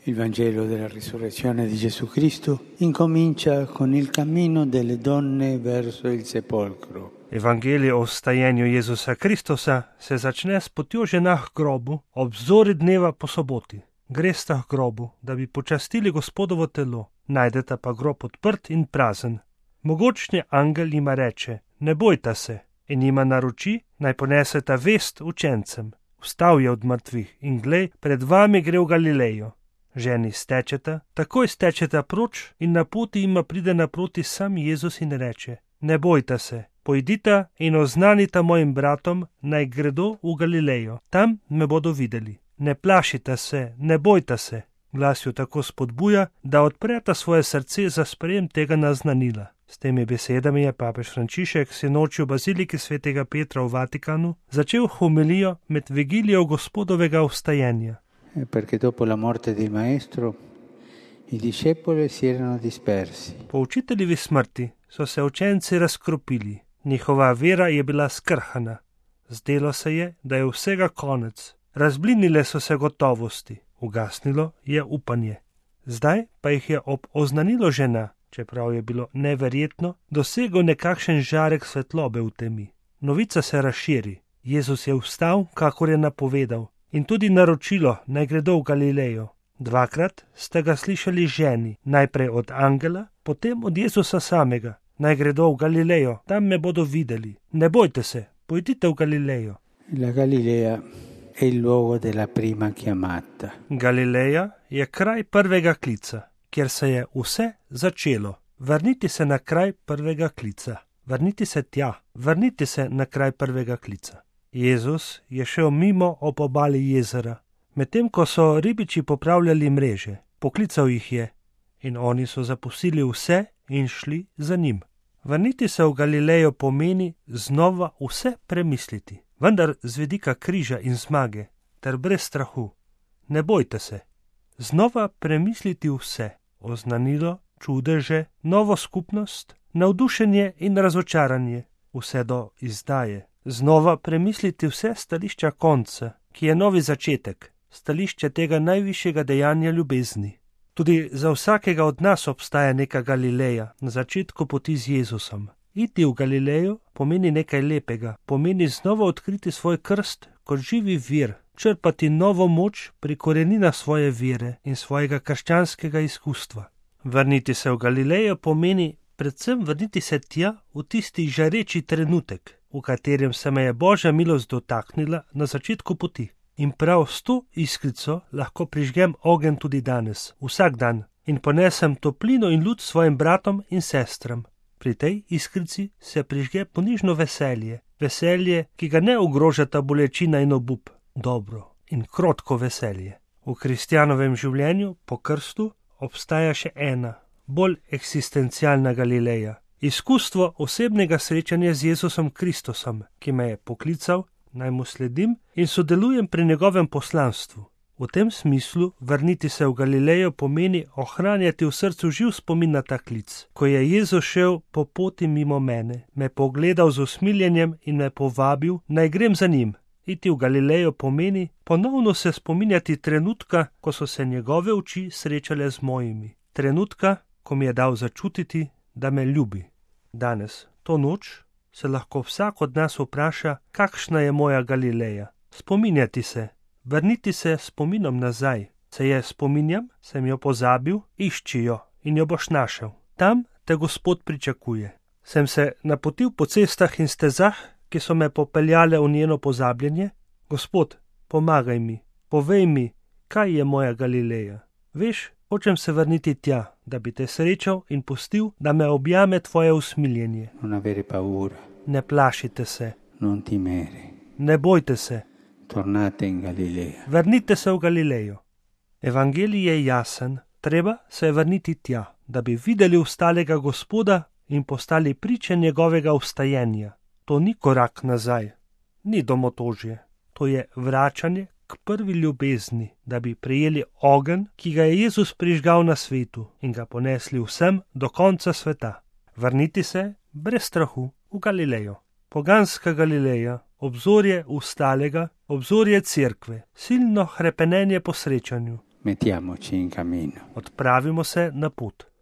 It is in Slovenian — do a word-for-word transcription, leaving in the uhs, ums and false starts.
Il Vangelo della risurrezione di Gesù Cristo incomincia con il cammino delle donne verso il sepolcro. Evangelije o vstajenju Jezusa Kristusa se začne s potjo žena k grobu ob zori dneva po soboti. Gresta k grobu, da bi počastili Gospodovo telo, najdeta pa grob odprt in prazen. Mogočni angel jima reče, ne bojta se, in jima naroči, naj poneseta vest učencem. Vstal je od mrtvih in glej, pred vami gre v Galilejo. Ženi stečeta, takoj stečeta proč in na poti jima pride naproti sam Jezus in reče, ne bojta se, pojdita in oznanita mojim bratom, naj gredo v Galilejo, tam me bodo videli. Ne plašita se, ne bojta se. Glas jo tako spodbuja, da odpreta svoje srce za sprejem tega naznanila. S temi besedami je papež Frančišek sinoči v baziliki svetega Petra v Vatikanu začel homilijo med vigilijo Gospodovega vstajenja. Perché dopo la morte del maestro i discepoli si erano dispersi. Po učiteljevi smrti so se učenci razkropili, njihova vera je bila skrhana. Zdelo se je, da je vsega konec. Razblinile so se gotovosti, ugasnilo je upanje. Zdaj pa jih je ob oznanilo žena, čeprav je bilo neverjetno, dosegel nekakšen žarek svetlobe v temi. Novica se razširi. Jezus je vstal, kakor je napovedal, in tudi naročilo, naj gredo v Galilejo. Dvakrat ste ga slišali ženi, najprej od angela, potem od Jezusa samega. Naj gredo v Galilejo, tam me bodo videli. Ne bojte se, pojdite v Galilejo. La Galilea è il luogo della prima chiamata. Galileja je kraj prvega klica, kjer se je vse začelo. Vrniti se na kraj prvega klica. Vrniti se tja. Vrniti se na kraj prvega klica. Jezus je šel mimo ob obali jezera, medtem ko so ribiči popravljali mreže. Poklical jih je in oni so zapustili vse in šli za njim. Vrniti se v Galilejo pomeni znova vse premisliti, vendar z vidika križa in zmage, ter brez strahu. Ne bojte se. Znova premisliti vse, oznanilo, čudeže, novo skupnost, navdušenje in razočaranje, vse do izdaje. Znova premisliti vse stališča konca, ki je novi začetek, stališče tega najvišjega dejanja ljubezni. Tudi za vsakega od nas obstaja neka Galileja na začetku poti z Jezusom. Iti v Galilejo pomeni nekaj lepega, pomeni znova odkriti svoj krst kot živi vir, črpati novo moč pri koreninah svoje vere in svojega krščanskega izkustva. Vrniti se v Galilejo pomeni predvsem vrniti se tja v tisti žareči trenutek, v katerem se me je Božja milost dotaknila na začetku poti. In prav s to iskrico lahko prižgem ogenj tudi danes, vsak dan, in ponesem toplino in luč svojim bratom in sestram. Pri tej iskrici se prižge ponižno veselje, veselje, ki ga ne ogrožata bolečina in obup, dobro in krotko veselje. V kristjanovem življenju po krstu obstaja še ena, bolj eksistencialna Galileja. Izkustvo osebnega srečanja z Jezusom Kristusom, ki me je poklical, naj mu sledim in sodelujem pri njegovem poslanstvu. V tem smislu vrniti se v Galilejo pomeni ohranjati v srcu živ spomin na ta klic. Ko je Jezus šel po poti mimo mene, me pogledal z usmiljenjem in me povabil, naj grem za njim. Iti v Galilejo pomeni ponovno se spominjati trenutka, ko so se njegove oči srečale z mojimi. Trenutka, ko mi je dal začutiti, da me ljubi. Danes, to noč, se lahko vsak od nas vpraša, kakšna je moja Galileja. Spominjati se, vrniti se spominom nazaj. Se je spominjam, sem jo pozabil, išči jo in jo boš našel. Tam te Gospod pričakuje. Sem se napotil po cestah in stezah, ki so me popeljale v njeno pozabljenje. Gospod, pomagaj mi, povej mi, kaj je moja Galileja. Veš, hočem se vrniti tja, da bi te srečal in pustil, da me objame tvoje usmiljenje. Non avere paura. Ne plašite se. Non timere. Ne bojte se. Tornate in Galilea. Vrnite se v Galilejo. Evangelij je jasen, treba se je vrniti tja, da bi videli vstalega Gospoda in postali priče njegovega vstajenja. To ni korak nazaj, ni domotožje, to je vračanje k prvi ljubezni, da bi prejeli ogenj, ki ga je Jezus prižgal na svetu in ga ponesli vsem do konca sveta. Vrniti se brez strahu v Galilejo. Poganska Galileja, obzorje vstalega, obzorje cerkve, silno hrepenenje po srečanju. Mettiamoci in cammino. Odpravimo se na pot.